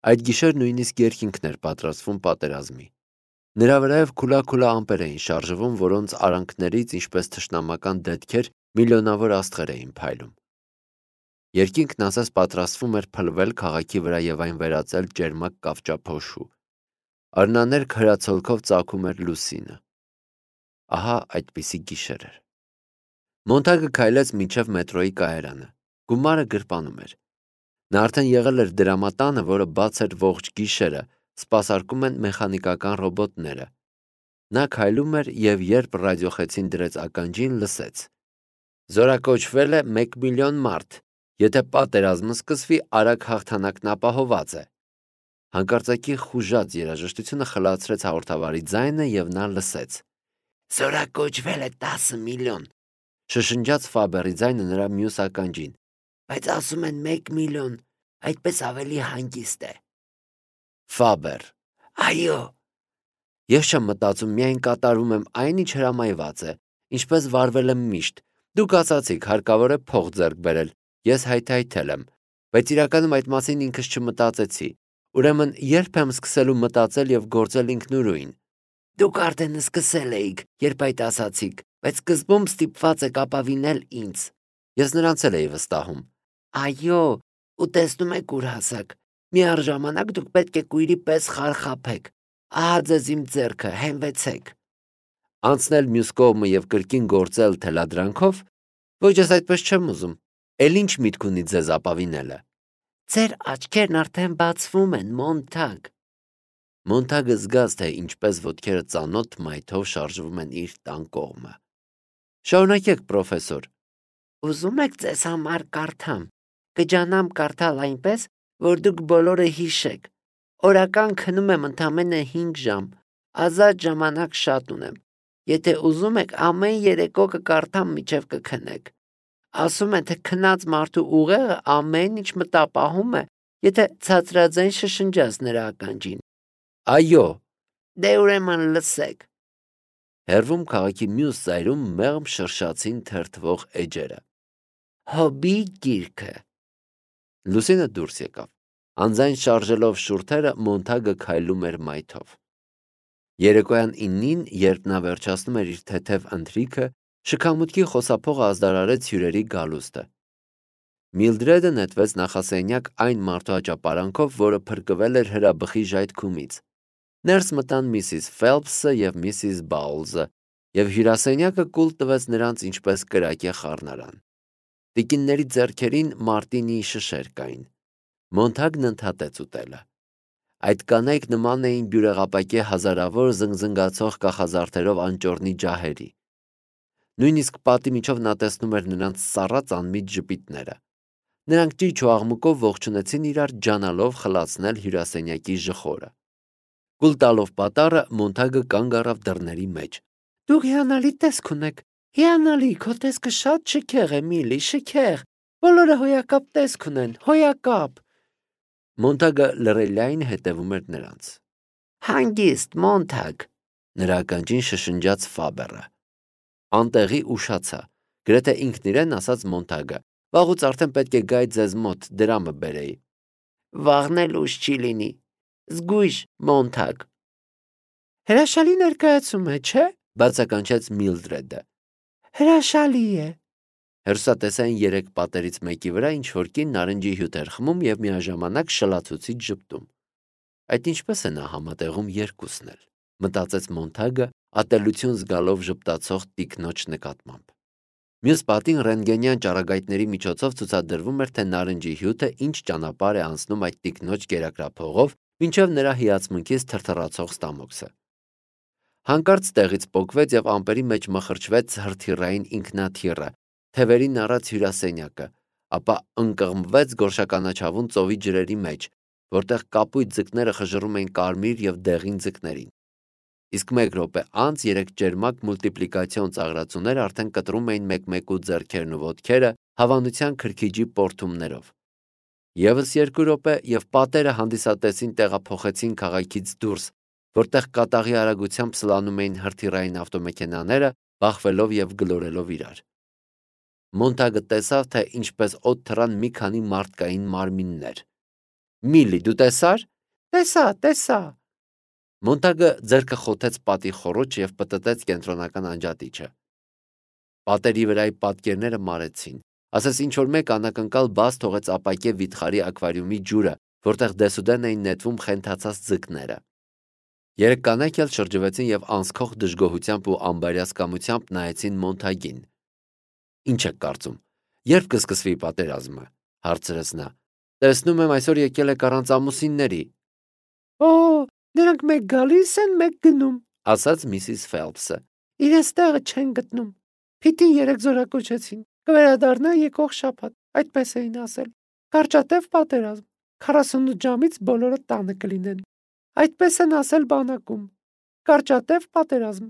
Այդ գիշեր նույնիսկ երկինքն էր պատրաստվում պատերազմի։ Նրա վրայով քուլա ամպեր էին շարժվում, որոնց արանքներից, ինչպես թշնամական դետքեր, միլիոնավոր աստղեր էին փայլում։ Երկինքն ասես պատրաստվում էր փլվել քաղաքի վրա եւ այն վերածել ջերմակ կավճափոշու։ Արնաներ քրացոլքով ծագում էր լուսինը։ Ահա այդպիսի գիշեր էր։ Մոնտագը քայլեց մինչև մետրոյի կայարանը։ Գումարը գրպանում էր։ Նա արդեն եղել էր դրամատանը, որը բաց էր ողջ գիշերը, սպասարկում են մեխանիկական ռոբոտները։ Նա քայլում էր եւ երբ ռադիոխեցին դրեց ականջին, լսեց. Զորակոչվել է 1 միլիոն մարդ։ Եթե պատերազմը սկսվի, արագ հաղթանակն ապահոված է։ Հանկարծակի խուժած երաժշտությունը խլացրեց հաղորդավարի ձայնը եւ նա լսեց. Զորակոչվել է 10 միլիոն։ Շշնջաց Ֆաբերի ձայնը նրա մյուս ականջին։ Բայց ասում են 1 միլիոն, այդպես ավելի հանգիստ է։ Ֆաբեր. Այո։ Ես չեմ մտածում, միայն կատարում եմ այն, ինչ հրամայված է, ինչպես վարվել եմ միշտ։ Դուք ասացիք, հարկավոր է փող ձեռք բերել։ Ես հայթայթել եմ, բայց իրականում այդ մասին ինքս չմտածեցի։ Ուրեմն երբ եմ սկսելու մտածել եւ գործել ինքնուրույն։ Դուք արդեն սկսել էիք, երբ այդ ասացիք, բայց սկզբում ստիպված եք ապավինել ինձ։ Ես նրանց էլ էի վստահում։ Այո, ու տեսնում եք ուր հասակ։ Միառժամանակ դուք պետք է կույրի պես խարխափեք։ Ահա ձեզ իմ ձեռքը, հենվեցեք։ Անցնել մյուս կողմը եւ կրկին գործել թելադրանքով։ Ոչ, ես այդպես չեմ ուզում։ Էլ ինչ միտք ունի ձեզ ապավինելը։ Ձեր աչքերն արդեն բացվում են, Մոնտագ։ Մոնտագը զգաց, թե ինչպես ոտքերը ծանոթ մայթով շարժվում են իր տան կողմը։ Շարունակեք, պրոֆեսոր։ Ուզում եք ձեզ համար կարդամ։ Կջանամ կարդալ այնպես, որ դուք բոլորը հիշեք։ Օրական քնում եմ ընդամենը 5 ժամ, ազատ ժամանակ շատ ունեմ։ Եթե ուզում եք, ամեն երեկո կկարդամ մինչև կքնեք։ Ասում են, թե քնած մարդու ուղեղը ամեն ինչ մտապահում է, եթե ցածրաձայն շշնջաց նրա ականջին։ Այո։ Դե ուրեմն լսեք։ Հերվում քաղաքի մյուս ծայրում մեղմ շրշացին թերթվող էջերը։ Հոբի գիրքը։ Լուսինը դուրս եկավ։ Անձայն շարժելով շուրթերը Մոնտագը քայլում էր մայթով։ Երեկոյան 9-ին, երբ նա վերջացնում էր իր թեթև ընթրիքը, շքամուտքի խոսափողը ազդարարեց հյուրերի գալուստը։ Միլդրեդը նետվեց նախասենյակ այն մարդու աճապարանքով, որը փրկվել էր հրաբխի ժայթքումից։ Ներս մտան միսիս Ֆելփսը եւ միսիս Բաուլզը, եւ հյուրասենյակը կուլ տվեց նրանց ինչպես կրակե խառնարան։ Տիկինների ձեռքերին Մարտինի շշեր կային։ Մոնտագն ընդհատեց ուտելը։ Այդ կանայք նման էին բյուրեղապակե հազարավոր զնգզնգացող կախազարդերով անճոռնի ջահերի։ Նույնիսկ պատի միջով նա տեսնում էր նրանց սառած անմիջ ժպիտները։ Նրանք ճիչ ու աղմուկով ողջունեցին իրար, ջանալով խլացնել հյուրասենյակի ժխորը։ Կուլ տալով պատառը Մոնտագը կանգ առավ դռների մեջ։ Դուք հիանալի տեսք ունեք։ Հիանալի, քո տեսքը շատ շքեղ է, Միլի, շքեղ։ Բոլորը հոյակապ տեսք ունեն, հոյակապ։ Մոնտագը լռելիային հետևում էր նրանց։ Հանգիստ, Մոնտագ, նրա ականջին շշնջաց Ֆաբերը։ Անտեղի ուշացա, գրեթե ինքն իրեն ասաց Մոնտագը։ Վաղուց արդեն պետք է գայի ձեզ մոտ, դրամը բերեի։ Վաղն էլ ուշ չի լինի։ Զգույշ, Մոնտագ։ Հրաշալի ներկայացում է, չէ՞, բացականչեց Միլդրեդը։ Հրաշալի է։ Հերսատեսային 3 պատերից մեկի վրա ինչ որ կին նարնջի հյութ էր խմում եւ միաժամանակ շլացուցիչ ժպտում։ Այդ ինչպես է նա համատեղում երկուսն էլ, մտածեց Մոնտագը, ատելություն զգալով ժպտացող տիկնոջ նկատմամբ։ Մյուս պատին ռենտգենյան ճառագայթների միջոցով ցուցադրվում էր, թե նարնջի հյութը ինչ ճանապարհ է անցնում այդ տիկնոջ կերակրափողով, մինչև նրա հիացմունքից թրթռացող ստամոքսը։ Հանկարծ տեղից պոկվեց եւ ամպերի մեջ մխրճվեց հրթիռային ինքնաթիռը, թևերին առած հյուրասենյակը, ապա ընկղմվեց գորշականաչավուն ծովի ջրերի մեջ, որտեղ կապույտ ձկները խժռում էին կարմիր եւ դեղին ձկներին։ Իսկ 1 րոպե անց 3 ջերմակ մուլտիպլիկացիոն ծաղրացուներ արդեն կտրում էին մեկ-մեկու ձեռքերն ու ոտքերը հավանության քրքիջի պորթումներով։ Եվս 2 րոպե եւ պատերը հանդիսատեսին տեղափոխեցին քաղաքից դուրս, որտեղ կատաղի արագությամբ սլանում էին հրթիռային ավտոմեքենաները, բախվելով եւ գլորելով իրար։ Մոնտագը տեսավ, թե ինչպես օդ թռան մի քանի մարդկային մարմիններ։ Միլի, դու տեսա՞ր։ Տեսա։ Մոնտագը ձեռքը խոթեց պատի խոռոչը և պտտեց կենտրոնական անջատիչը։ Պատերի վրայի պատկերները մարեցին, ասես ինչ-որ մեկ անակնկալ բաց թողեց ապակե վիթխարի ակվարիումի ջուրը, որտեղ դեսուդեն էին նետվում խենթացած ձկները։ Երեք կանայք էլ շրջվեցին և անսքող դժգոհությամբ ու անբարյացկամությամբ նայեցին Մոնտագին։ «Ինչ եք կարծում, երբ կսկսվի պատերազմը», հարցրեց նա։ «Տեսնում եմ այսօր եկել եք առանց ամուսինների»։ Օ, նրանք մեկ գալիս են, մեկ գնում, ասաց Միսիս Ֆելփսը։ իրենց տեղը չեն գտնում։ Փիթին 3 զորակոչեցին, կվերադառնա եկող շաբաթ, այդպես էին ասել։ Կարճատև պատերազմ, 48 ժամից բոլորը տանը կլինեն։ Այդպես են ասել բանակում։ Կարճատև պատերազմ։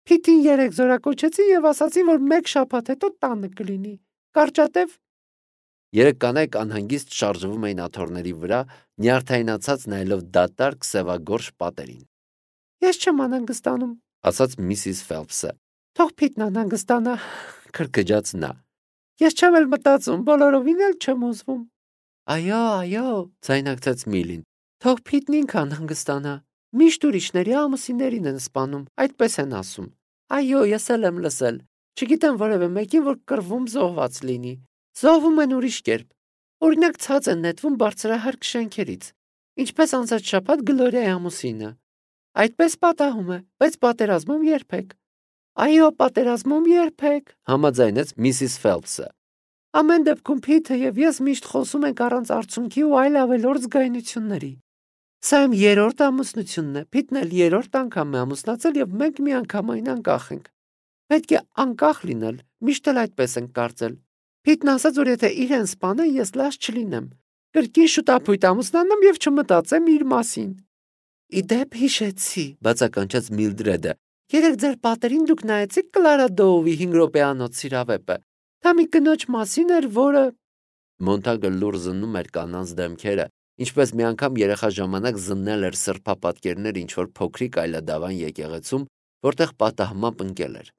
Փիթին 3 զորակոչեցին և ասացին, որ 1 շաբաթ հետո տանը կլինի։ Կարճատև։ Երեք կանայք անհանգիստ շարժվում էին աթոռների վրա, նյարդայնացած նայելով դատարկ սևագորշ պատերին։ Ես չեմ անհանգստանում, ասաց Միսիս Ֆելփսը։ Թող Փիթն անհանգստանա, քրքջաց նա։ Ես չեմ էլ մտածում, բոլորովին էլ չեմ ուզվում։ Այո, ձայնարկեց Միլին։ Թող Փիթն ինքը անհանգստանա։ Միշտ ուրիշների ամուսիններին են սպանում, այդպես են ասում։ Այո, ես էլ եմ լսել։ Չգիտեմ որևէ մեկին, որ կռվում զոհված լինի։ Զոհվում են ուրիշ կերպ։ Օրինակ ցած են նետվում բարձրահարկ շենքերից, ինչպես անցած շաբաթ Գլորիայի ամուսինը։ Այդպես պատահում է, բայց պատերազմում երբեք։ Այո, պատերազմում երբեք, համաձայնեց Միսիս Ֆելփսը։ Ամեն դեպքում Փիթը եւ ես միշտ խոսում ենք առանց արցունքի ու այլ ավելորդ զգայունությունների։ Սա իմ 3-րդ ամուսնությունն է, Փիթն էլ 3-րդ անգամ է ամուսնացել եւ մենք միանգամայն անկախ ենք։ Պետք է անկախ լինել, միշտ էլ այդպես ենք կարծել։ Փիթն ասաց, որ եթե իրեն սպանեն, ես լաց չլինեմ։ Կրկին շուտապույտ ամուսնանամ եւ չմտածեմ իր մասին։ Իդեպ հիշեցի, բացականչեց Միլդրեդը։ Երեք ձեր պատերին դուք նայեցիք Կլարա Դոուվի 5 րոպեանոց սիրավեպը։ Դա մի կնոջ մասին էր, որը Մոնտագը լուր զննում էր կանանց դեմքերը, ինչպես մի անգամ երեխա ժամանակ զննել էր սրբապատկերներ ինչ-որ փոքրիկ այլադավան եկեղեցում, որտեղ պատահմամբ ընկել էր։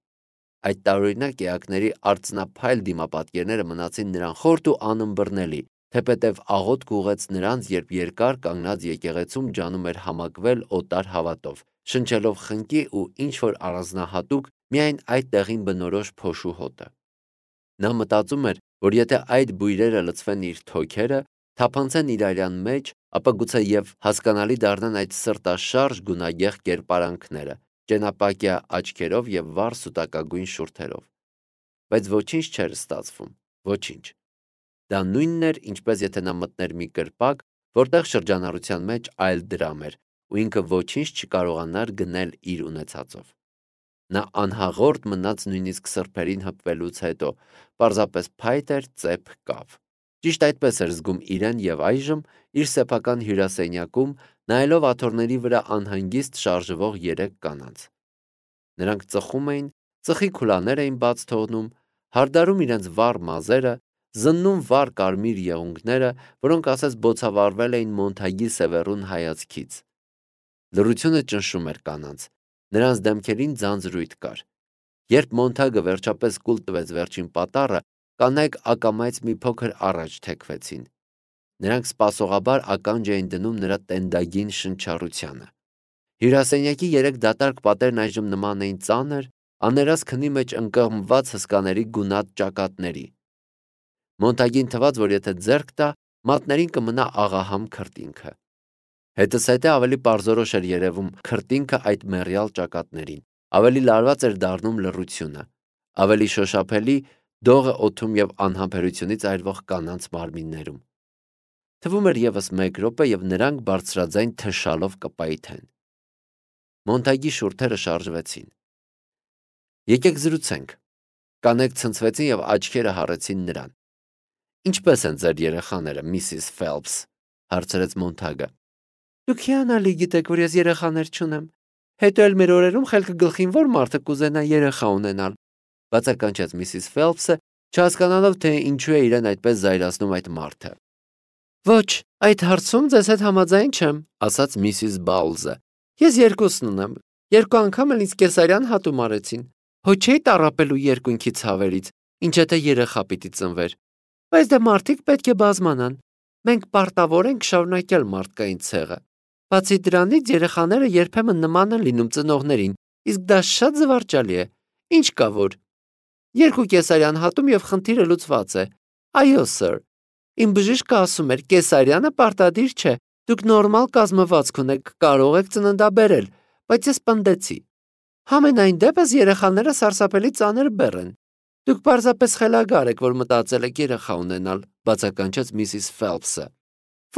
Այդ տարօրինակ էակների արծնափայլ դիմապատկերները մնացին նրան խորտ ու անըմբռնելի, թեպետև աղոթք ուղեց նրանց, երբ երկար կանգնած եկեղեցում ջանում էր համակվել օտար հավատով, շնչելով խնկի ու ինչ-որ առանձնահատուկ միայն այդ տեղին բնորոշ փոշու հոտը։ Նա մտածում էր, որ եթե այդ բույրերը լցվեն իր թոքերը, թափանցեն իր արյան մեջ, ապա գուցե եւ հասկանալի դառնան այդ սրտաշարժ գունագեղ կերպարանքները, ճենապակյա աչքերով եւ վառ սուտակագույն շուրթերով։ Բայց ոչինչ չէր ստացվում, ոչինչ։ Դա նույնն էր, ինչպես եթե նա մտներ մի կրպակ, որտեղ շրջանառության մեջ այլ դրամ էր, ու ինքը ոչինչ չկարողանար գնել իր ունեցածով։ Նա անհաղորդ մնաց նույնիսկ սրբերին հպվելուց հետո, պարզապես փայտ էր ծեփ կավ։ Ճիշտ այդպես էր զգում իրեն եւ այժմ իր սեփական հյուրասենյակում, նայելով աթոռների վրա անհանգիստ շարժվող 3 կանանց։ Նրանք ծխում էին, ծխի քուլաներ էին բաց թողնում, հարդարում իրենց վառ մազերը, զննում վառ կարմիր եղունգները, որոնք ասես բոցավառվել էին Մոնտագի սևեռուն հայացքից։ Լռությունը ճնշում էր կանանց, նրանց դեմքերին ձանձրույթ կար։ Երբ Մոնտագը վերջապես կուլ տվեց վերջին պատառը, կանայք ակամայից մի փոքր առաջ թեքվեցին։ Նրանք սպասողաբար ականջ էին դնում նրա տենդագին շնչառությանը։ Հյուրասենյակի 3 դատարկ պատերն այժմ նման էին ծանր, աներաս քնի մեջ ընկղմված հսկաների գունատ ճակատների։ Մոնտագին թվաց, որ եթե ձեռք տա, մատներին կմնա աղահամ քրտինքը։ Հետզհետե ավելի պարզորոշ էր երևում քրտինքը այդ մեռյալ ճակատներին, ավելի լարված էր դառնում լռությունը, ավելի շոշափելի դողը օդում եւ անհամբերությունից այրվող կանանց մարմիններում։ Թվում էր եւս 1 րոպե եւ նրանք բարձրաձայն թշալով կպայթեն։ Մոնտագի շուրթերը շարժվեցին։ Եկեք զրուցենք։ Կանայք ցնցվեցին եւ աչքերը հառեցին նրան։ Ինչպե՞ս են ձեր երեխաները, Միսիս Ֆելփս, հարցրեց Մոնտագը։ Դուք հիանալի գիտեք, որ ես երեխաներ չունեմ։ Հետո էլ մեր օրերում խելքը գլխին որ մարդը կուզենա երեխա ունենալ, բացականչեց Միսիս Ֆելփսը, չհասկանալով թե ինչու է իրեն այդպես զայրացնում այդ մարդը։ Ոչ, այդ հարցում ձեզ հետ համաձայն չեմ, ասաց Միսիս Բաուլզը։ Ես 2-ն ունեմ։ 2 անգամ էլ ինձ կեսարյան հատում արեցին։ Հո չէի տառապելու երկունքի ցավերից, ինչ եթե երեխա պիտի ծնվեր։ Բայց դե մարդիկ պետք է բազմանան։ Մենք պարտավոր ենք շարունակել մարդկային ցեղը։ Բացի դրանից երեխաները երբեմն նման են լինում ծնողներին, իսկ դա շատ զվարճալի է։ Ինչ կա որ։ 2 կեսարյան հատում եւ խնդիրը լուծված է։ Այո, սir։ Իմ բժիշկը ասում էր, կեսարյանը պարտադիր չէ։ Դուք նորմալ կազմվածք ունեք, կարող եք ծննդաբերել, բայց ես պնդեցի։ Համենայն դեպս երեխաները սարսափելի ծանր բեռ են։ Դուք պարզապես խելագար եք, որ մտածել եք երեխա ունենալ, բացականչեց Միսիս Ֆելփսը։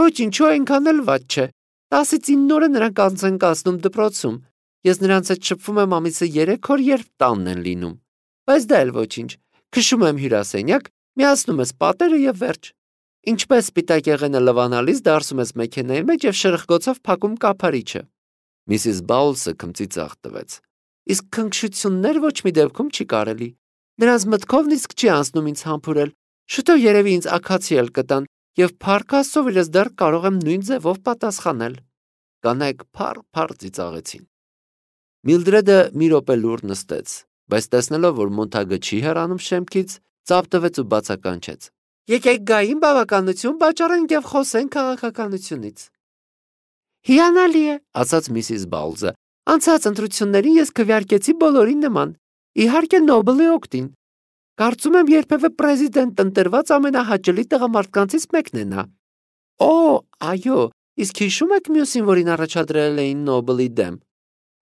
Ոչինչ, այնքան էլ վատ չէ։ 10-ից 9 օրը նրանք անց են կացնում դպրոցում։ Ես նրանց հետ շփվում եմ ամիսը 3 օր, երբ տանն են լինում։ Բայց դա էլ ոչինչ։ Քշում եմ հյուրասենյակ, միացնում ես պատերը եւ վերջ։ Ինչպես սպիտակ եղենը լվանալիս դարսում ես մեքենայի մեջ եւ շրխկոցով փակում կափարիչը։ Միսիս Բաուլսը քմծի ծաղ տվեց։ Իսկ քնքշություններ ոչ մի դեպքում չի կարելի։ Նրանց մտքով նիսկ չի անցնում ինձ համբուրել։ Շուտով երևի ինձ աքացի էլ կտան եւ փառք Աստծո, որ ես դեռ կարող եմ նույն ձևով պատասխանել։ Կանայք փառ ծիծաղեցին։ Միլդրեդը մի րոպե լուր նստեց, բայց տեսնելով, որ Մոնթագը չի հեռանում շեմքից, ծափ տվեց ու բացականչեց. Եկեք գային բավականություն վաճառենք եւ խոսենք քաղաքականությունից։ Հիանալի է, ասաց Միսիս Բաուլզը։ Անցած ընտրություններին ես քվեարկեցի բոլորին նման։ Իհարկե Նոբելի օգտին։ Կարծում եմ երբևէ պրեզիդենտ ընտրված ամենահաճելի տղամարդկանցից մեկն է նա։ Օ, այո, իսկ հիշում եք մյուսին, որին առաջադրել էին Նոբելի դեմ։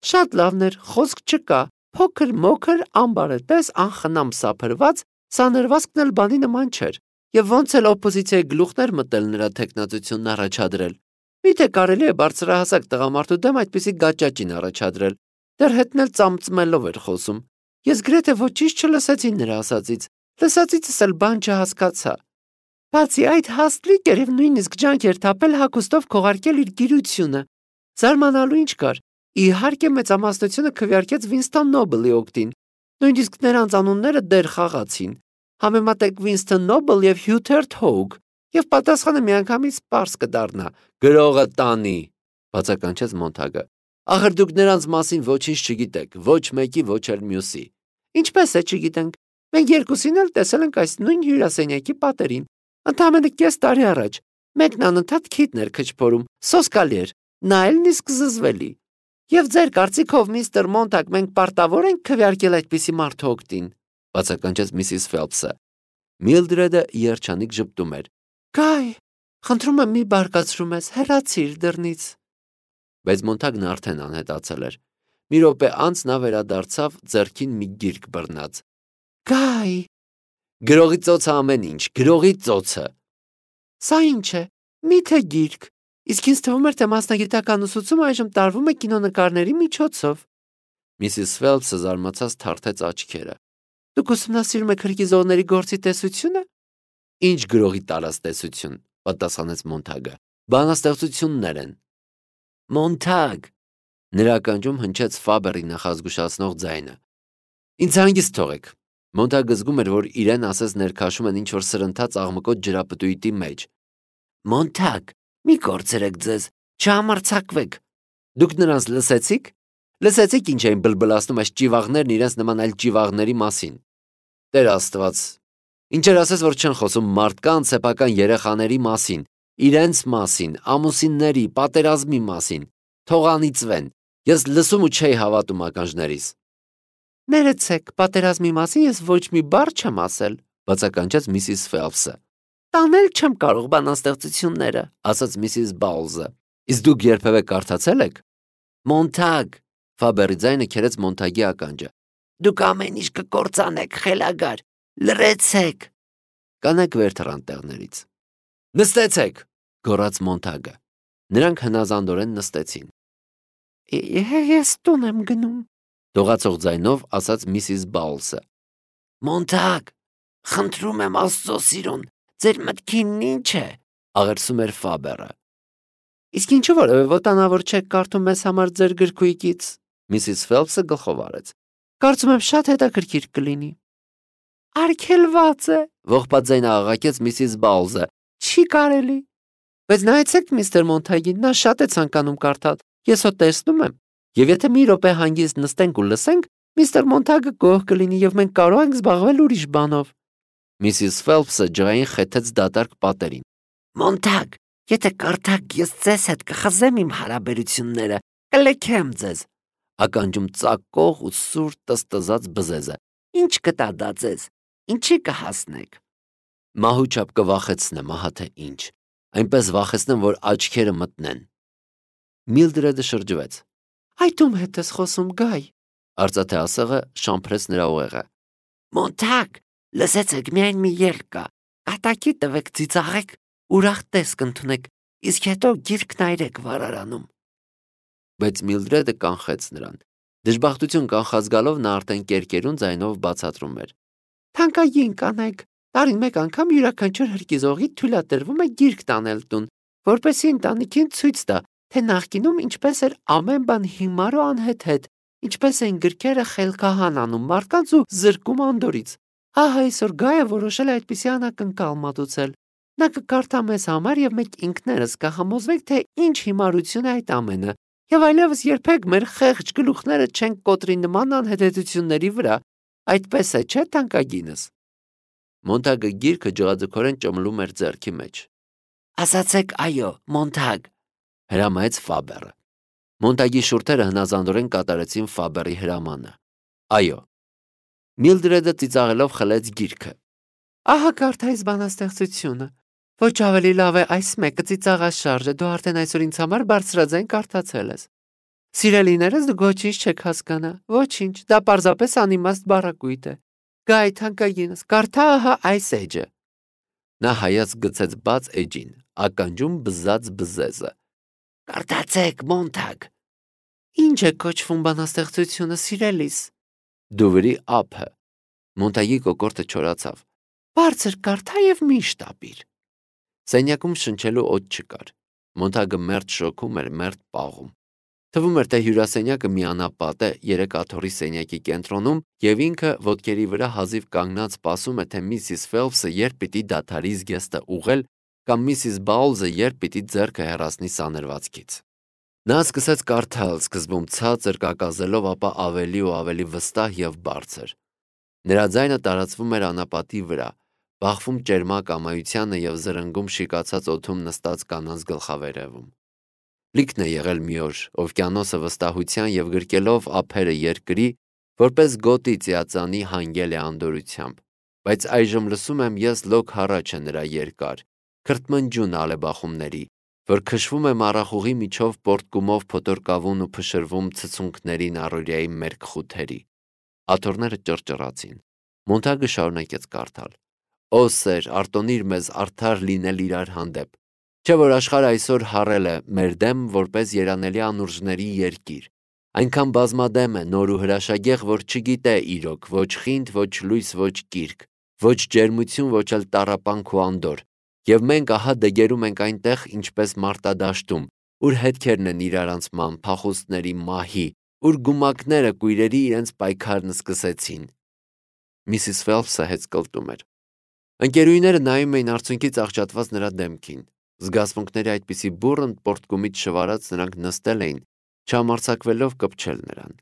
Շատ լավն էր, խոսք չկա։ Փոքր մոքր ամբարետես անխնամ սափրված, սանրվածքն էլ բանի նման չէր։ Եվ ոնց էլ օպոզիցիայի գլուխներ մտել նրա տեխնացությունն առաջադրել։ Միթե կարելի է բարձրահասակ տղամարդու դեմ այդպիսի գաճաճին առաջադրել։ Դեռ հետն էլ ծամծմելով էր խոսում։ Ես գրեթե ոչինչ չլսեցի նրա ասածից։ Լսածիցս էլ բան չհասկացա։ Բացի այդ հաստլիկ էր եւ նույնիսկ ջանք էր թափել հագուստով քողարկել իր գիրությունը։ Զարմանալու ինչ կար։ Իհարկե մեծամասնությունը քվեարկեց Վինստոն Նոբելի օգտին։ Նույնիսկ նրանց անունները դեռ խաղացին։ Համեմատեք Վինստոն Նոբել եւ Հյութերտ Հոգ, եւ պատասխանը միանգամից պարզ կդառնա. գրողը տանի, բացականչեց Մոնթագը։ Ախր դուք նրանց մասին ոչինչ չգիտեք, ոչ մեկի, ոչ էլ մյուսի։ Ինչպես է չգիտենք։ Մենք երկուսին էլ տեսել ենք այս նույն հյուրասենյակի պատերին։ Ընդամենը կես տարի առաջ։ Մեկն անընդհատ քիթներ քչփորում, սոսկալի էր, նա էլ նիսկ զզվելի։ Եվ ձեր կարծիքով, միստր Մոնթագ, մենք պարտավոր ենք քվեարկել այդպիսի մարդու օգտին, բացականչեց Միսիս Ֆելփսը։ Միլդրեդը երջանիկ ժպտում էր։ Գայ, խնդրում եմ մի բարկացրու մեզ, հեռացիր դռնից։ Բայց Մոնթագն արդեն անհետացել էր։ Մի րոպե անց նա վերադարձավ ձեռքին մի գիրք բռնած։ Գայ, գրողի ծոցը ամեն ինչ, գրողի ծոցը։ Սա ինչ է։ Միթե գիրք։ Իսկ ինձ թվում էր, թե մասնագիտական ուսուցումը այժմ տարվում է կինոնկարների միջոցով։ Միսիս Ֆելփսը զարմացած թարթեց աչքերը։ Դուք ուսումնասիրում եք հրկիզողների գործի տեսությունը։ Ինչ գրողի տարած տեսություն, պատասխանեց Մոնթագը։ Բանաստեղծություններ են։ Մոնթագ, նրա ականջում հնչեց Ֆաբերի նախազգուշացնող ձայնը։ Ինձ հանգիստ թողեք։ Մոնթագը զգում էր, որ իրեն ասես ներքաշում են ինչ-որ սրընթաց աղմկոտ ջրապտույտի մեջ։ Մոնթագ, մի կորցրեք ձեզ, չհամարձակվեք։ Դուք նրանց լսեցիք։ Լսեցիք ինչ էին բլբլացնում այս ճիվաղներն իրենց նման այլ ճիվաղների մասին։ Տեր Աստված, ինչեր ասես, որ չեն խոսում մարդկանց, սեփական երեխաների մասին, իրենց մասին, ամուսինների, պատերազմի մասին։ Թող անիծվեն։ Ես լսում ու չէի հավատում ականջներիս։ Ներեցեք, պատերազմի մասին ես ոչ մի բառ չեմ ասել, բացականչեց Միսիս Ֆելփսը։ Տանել չեմ կարող բանաստեղծությունները, ասաց Միսիս Բաուլզը։ Իսկ դուք երբևէ կարդացել եք։ Մոնթագ, Ֆաբերի ձայնը քերեց Մոնթագի ականջը։ Դուք ամեն ինչ կկործանեք, խելագար, լռեցեք։ Կանայք վեր թռան տեղներից։ Նստեցեք, գոռաց Մոնթագը։ Նրանք հնազանդորեն նստեցին։ Ես տուն եմ գնում, դողացող ձայնով ասաց Միսիս Բաուլսը։ Մոնթագ, խնդրում եմ Աստծո սիրուն, ձեր մտքին ինչ է, աղերսում էր Ֆաբերը։ Իսկ ինչու որևէ վտանավոր չեք կարդում մեզ համար ձեր գրքույկից, Միսիս Ֆելփսը գլխով արեց։ Կարծում եմ շատ հետաքրքիր կլինի։ Արգելված է, ողբած ձայնը աղաղակեց Միսիս Բաուլզը։ Չի կարելի։ Բայց նայեցեք միստր Մոնթագին, նա շատ է ցանկանում կարդալ։ Ես հո տեսնում եմ։ Եվ եթե մի րոպե հանգիստ նստենք ու լսենք, միստր Մոնթագը գոհ կլինի եւ մենք կարող ենք զբաղվել ուրիշ բանով։ Միսիս Ֆելփսը ջղային խեթեց դատարկ պատերին։ Մոնտագ, եթե կարդաք, ես ձեզ հետ կխզեմ իմ հարաբերությունները, կլքեմ ձեզ։ Ականջում ծակող ու սուր տստզած բզեզը։ Ինչ կտա դա ձեզ, ինչի կհասնեք։ Մահու չափ կվախեցնեմ, ահա թե ինչ։ Այնպես վախեցնեմ, որ աչքերը մտնեն։ Միլդրեդը շրջվեց։ Այդ ում հետ ես խոսում, Գայ։ Արծաթե ասեղը շամփրեց նրա ուղեղը։ Մոնտագ, լսեցեք, միայն մի ելք կա։ Կատակի տվեք, ծիծաղեք, ուրախ տեսք ընդունեք, իսկ հետո գիրքն այրեք վարարանում։ Բայց Միլդրեդը կանխեց նրան։ Դժբախտություն կանխած գալով նա արդեն կերկերուն ձայնով բացատրում էր. Թանկագին կանայք, տարին մեկ անգամ յուրաքանչյուր հրկիզողի թույլատրվում է գիրք տանել տուն, որպեսզի ընտանիքին ցույց տա, թե նախկինում ինչպես էր ամեն բան հիմար ու անհեթեթ, ինչպես էին գրքերը խելքահան անում մարդկանց ու զրկում անդորից։ Ահա այսօր Գայը որոշել է այդպիսի անակնկալ մատուցել։ Նա կկարդա մեզ համար եւ մենք ինքներս կհամոզվենք, թե ինչ հիմարություն է այդ ամենը, եւ այլևս երբեք մեր խեղճ գլուխները չենք կոտրի նման անհետեթությունների վրա։ Այդպես է, չէ՞ թանկագինս։ Մոնտագը գիրքը ջղաձգորեն ճմլում էր ձեռքի մեջ։ Ասացեք այո, Մոնտագ, հրամայեց Ֆաբերը։ Մոնտագի շուրթերը հնազանդորեն կատարեցին Ֆաբերի հրամանը։ Այո։ Միլդրեդը ծիծաղելով խլեց գիրքը։ Ահա կարդայից բանաստեղծությունը։ Ոչ ավելի լավ է այս մեկը ծիծաղած շարժը, դու արդեն այսօր ինձ համար բարձրաձայն կարդացել ես։ Սիրելիներս, դուք ոչինչ չեք հասկանա, ոչինչ, դա պարզապես անիմաստ բառակույտ է։ Գայ, թանկագինս, կարդա ահա այս էջը։ Նա հայաց գցեց բաց էջին, ականջում բզած բզեզը։ Կարդացեք, Մոնտագ։ Ինչ է կոչվում բանաստեղծությունը, սիրելիս։ Դուվրի ափը։ Մոնտագի կոկորդը չորացավ։ Բարձր կարդա եւ միշտ ապիր։ Սենյակում շնչելու օդ չկար։ Մոնտագը մերթ շոքում էր, մերթ պաղում։ Թվում էր, թե հյուրասենյակը մի անապատ է երեք աթոռի սենյակի կենտրոնում եւ ինքը ոտքերի վրա հազիվ կանգնած սպասում է, թե միսիս Ֆելփսը երբ պիտի դադարի զգեստը ուղղել կամ միսիս Բաուլզը երբ պիտի ձեռքը հեռացնի սանրվածքից։ Նա սկսեց կարդալ, սկզբում ցածր կակազելով, ապա ավելի ու ավելի վստահ եւ բարձր։ Նրա ձայնը տարածվում էր անապատի վրա, բախվում ճերմակ ամայությանը եւ զրնգում շիկացած օդում նստած կանանց գլխավերևում։ Լիքն է եղել մի օր, օվկիանոսը վստահության եւ գրկելով ափերը երկրի, որպես գոտի ծիածանի հանգել է անդորությամբ, բայց այժմ լսում եմ ես լոկ հառաչը նրա երկար, քրթմնջուն ալեբախումների, որ քշվում է մառախուղի միջով պորտկումով փոթորկավուն ու փշրվում ցցունքներին առօրյայի մերկ խութերի։ Աթոռները ճռճռացին։ Մոնտագը շարունակեց կարդալ. Օ սեր, արտոնիր մեզ արդար լինել իրար հանդեպ։ Չէ որ աշխարհը այսօր հառել է մեր դեմ որպես երանելի անուրջների երկիր։ Այնքան բազմադեմ է, նոր ու հրաշագեղ, որ չգիտե իրոք, ոչ խինդ, ոչ լույս, ոչ կիրք, ոչ ջերմություն, ոչ էլ տառապանք ու անդոր։ Եվ մենք ահա դգերում ենք այնտեղ, ինչպես մարտադաշտում, ուր հետքերն են իրարանցման, փախուստների մահի, ուր գումակները կույրերի իրենց պայքարն սկսեցին։ Միսիս Ֆելփսը հեծկլտում էր։ Ընկերուհիները նայում էին արցունքից աղճատված նրա դեմքին։ Զգացմունքների այդպիսի բուռն պորտկումից շվարած նրանք նստել էին, չհամարձակվելով կպչել նրան։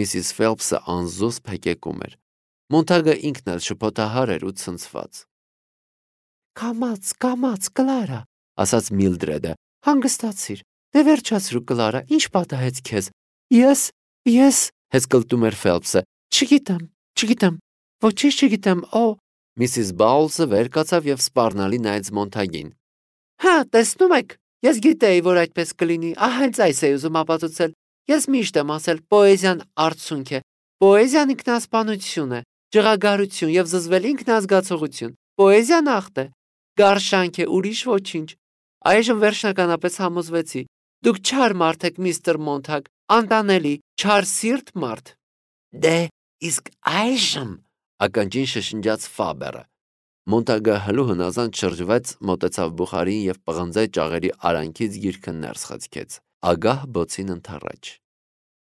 Միսիս Ֆելփսը անզուսպ հեկեկում էր։ Մոնտագը ինքն էլ շփոթահար էր ու ցնցված։ Կամաց, Կլարա, ասաց Միլդրեդը։ Հանգստացիր, դե վերջացրու, Կլարա, ինչ պատահեց քեզ։ Ես, հեծկլտում էր Ֆելփսը։ Չգիտեմ, ոչինչ չգիտեմ, Միսիս Բաուլսը վեր կացավ եւ սպառնալի նայեց Մոնտագին։ Հա, տեսնում եք, ես գիտեի, որ այդպես կլինի, հենց այս էի ուզում ապացուցել։ Ես միշտ եմ ասել, պոեզիան արցունք է, պոեզիան ինքնասպանություն է, ջղագարություն եւ զզվել ինքնազգացողություն։ Պոեզիան ախտ է, գարշանք է, ուրիշ ոչինչ։ Այժմ վերջնականապես համոզվեցի։ Դուք չար մարդ եք, միստր Մոնտագ, անտանելի, չար սիրտ մարդ։ Դե, իսկ այժմ, ականջին շշնջաց Ֆաբերը։ Մոնտագը հլուհնազանդ շրջվեց, մոտեցավ բուխարին եւ պղնձե ճաղերի արանքից գիրքը ներս խցկեց։ Ագահ բոցին ընթառաջ։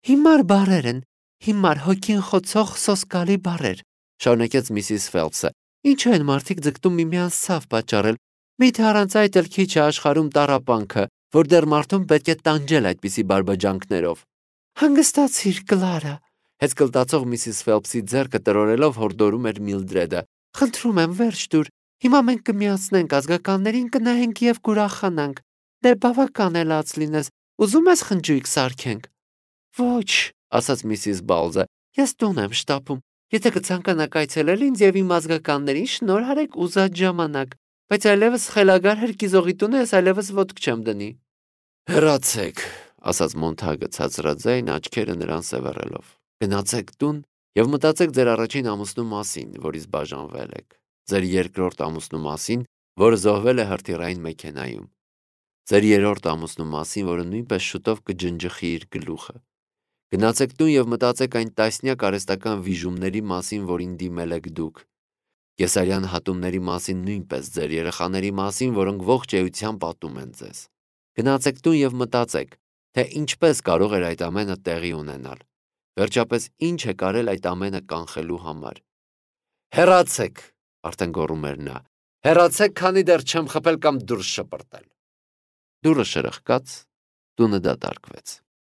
Հիմար բառեր են, հիմար հոգին խոցող սոսկալի բառեր, շարունակեց միսիս Ֆելփսը։ Ինչու են մարդիկ ձգտում միմյանց ցավ պատճառել։ Միթե առանց այդ էլ քիչ է աշխարհում տառապանքը, որ դեռ մարդուն պետք է տանջել այդպիսի բարբաջանքներով։ Հանգստացիր, Կլարա, հեծկլտացող միսիս Ֆելփսի ձեռքը տրորելով հորդորում էր Միլդրեդը։ Խնդրում եմ, վերջ դուր, Հիմա մենք կմիացնենք ազգականներին, կնայենք եւ կուրախանանք։ Դե բավական է լաց լինես։ Ուզում ես խնջույք սարքենք։ Ոչ, ասաց Միսիս Բաուզը։ Ես տուն եմ շտապում։ Եթե կցանկանաք այցելել ինձ եւ իմ ազգականներին, շնորհարեք ուզած ժամանակ, բայց այլևս խելագար հրկիզողի տունը ես այլևս ոտք չեմ դնի։ Հեռացեք, ասաց Մոնթագը ցածրաձայն, աչքերը նրան սևեռելով։ Գնացեք տուն եւ մտածեք ձեր առաջին ամուսնու մասին, որից բաժանվել եք, ձեր երկրորդ ամուսնու մասին, որը զոհվել է հրթիռային մեքենայում, ձեր երրորդ ամուսնու մասին, որը նույնպես շուտով կջնջխի իր գլուխը։ Գնացեք տուն եւ մտածեք այն տասնյակ արհեստական վիժումների մասին, որին դիմել եք դուք։ Կեսարյան հատումների մասին, նույնպես ձեր երեխաների մասին, որոնք ողջ էության պատում են ձեզ։ Գնացեք տուն եւ մտածեք, թե ինչպես կարող էր այդ ամենը տեղի ունենալ։ Վերջապես ինչ է կարել այդ ամենը կանխելու համար։ Հեռացեք, արդեն գոռում էր նա։ Հեռացեք, քանի դեռ չեմ խփել կամ դուրս շպրտել։ Դուռը շրխկաց, տունը դատարկվեց։